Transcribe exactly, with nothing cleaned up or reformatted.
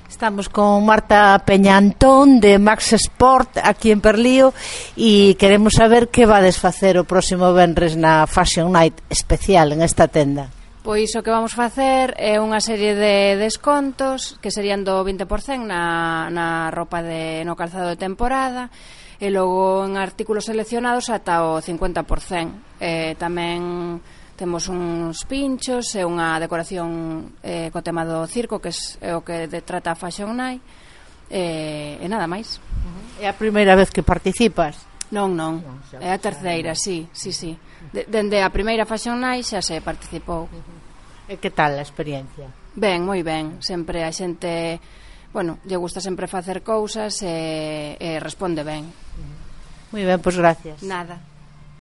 Estamos con Marta Peñantón de Max Sport aquí en Perlío e queremos saber que vades facer o próximo venres na Fashion Night especial en esta tenda. Pois o que vamos facer é unha serie de descontos que serían do vinte por cento na, na roupa de, no calzado de temporada e logo en artículos seleccionados ata o cincuenta por cento. Eh, tamén temos uns pinchos e unha decoración eh, co tema do circo, que é o que de, trata a Fashion Night, e, e nada máis. É a primeira vez que participas? Non, non, non é a terceira, sí, sí, sí. De, dende a primeira Fashion Night xa se participou. E que tal a experiencia? Ben, moi ben, sempre a xente, bueno, lle gusta sempre facer cousas e, e responde ben. Moi ben, pois gracias. Nada.